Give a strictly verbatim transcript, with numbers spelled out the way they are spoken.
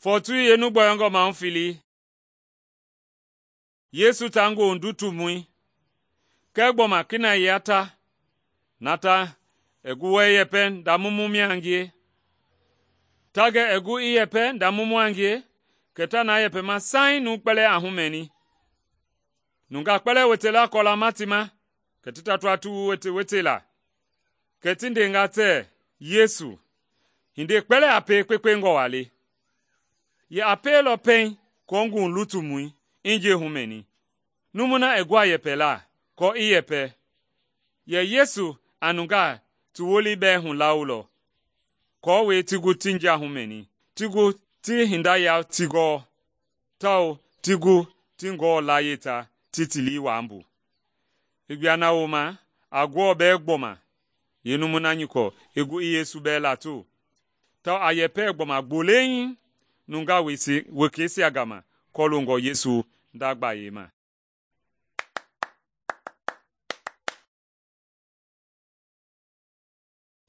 Fɔɔtui yeenu gbɔyɔngɔ mahu fili, Yesu ta ngoohu ndutumɔi, kɛɛ gbɔma kinɛiya ta, na ta i gu wɛ i yɛpɛ nda mumu mia a ngie. Ta gɛ i gu i yɛpɛ nda mumu a ngie, kɛ ta na yɛpɛma saiŋ numui kpɛlɛɛ a humɛni. Nungaa kpɛlɛɛ wetela kɔlama ti ma, kɛ ti tatua ti wu wete-wetela. Kɛ ti ndenga tɛɛ Yesu, hindei kpɛlɛɛ a pie kpekpengɔ waa le. Yɛ a pielɔ pɛiŋ aako ngoohu lutumɔi i njɛi humɛni. Numui na i gu a yɛpɛla aako i yɛpɛ. Yɛ Yesu a nungaa ti wolii bɛɛ hulaolɔ, aako ti gu ti njia humɛni, ti gu ti hinda ya ti gɔɔ, tawao ti gu ti Ngewɔ layie ta ti ti lii waa mbu. I gbua na wooma a Ngewɔ bɛɛ gbɔma yeenumui na nyɔkɔ i gu i Yesu bɛɛ lato, tawao a yɛpɛ gbɔma gbolei nungaa wekeisia gama kɔloongɔ Yesu nda gbayei ma.